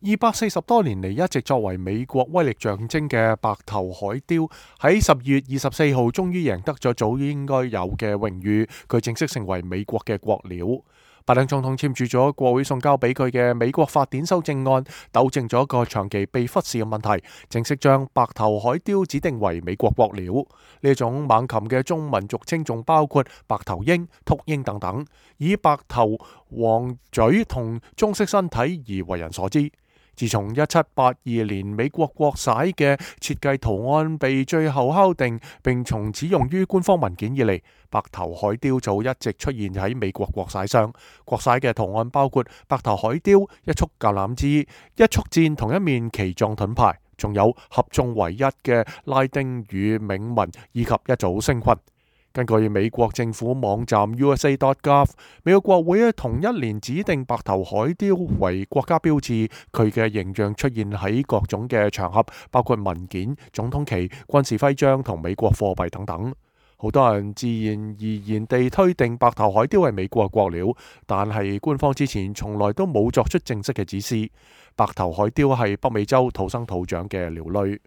240多年嚟一直作為美國威力象徵嘅白頭海雕，喺12月24號終於贏得咗早應該有嘅榮譽，佢正式成為美國嘅國鳥。拜登總統簽署咗國會送交俾佢嘅美國法典修正案，糾正咗一個長期被忽視嘅問題，正式將白頭海雕指定為美國國鳥。呢種猛禽嘅中文俗稱仲包括白頭鷹、禿鷹等等，以白頭、黃嘴同棕色身體而為人所知。自從1782年美國國璽嘅設計圖案被最後敲定並從此用於官方文件以嚟，白頭海雕就一直出現喺美國國璽上。國璽嘅圖案包括白頭海雕、一束橄欖枝、一束箭同一面旗狀盾牌，仲有合眾唯一嘅拉丁語銘文以及一組星群。根據美國政府網站 USA.gov， 美國國會同一年指定白頭海雕為國家標誌，佢嘅形象出現喺各種嘅場合，包括文件、總統旗、軍事徽章同美國貨幣等等。好多人自然而然地推定白頭海雕係美國國鳥，但係官方之前從來都冇作出正式嘅指示。白頭海雕係北美洲土生土長嘅鳥類。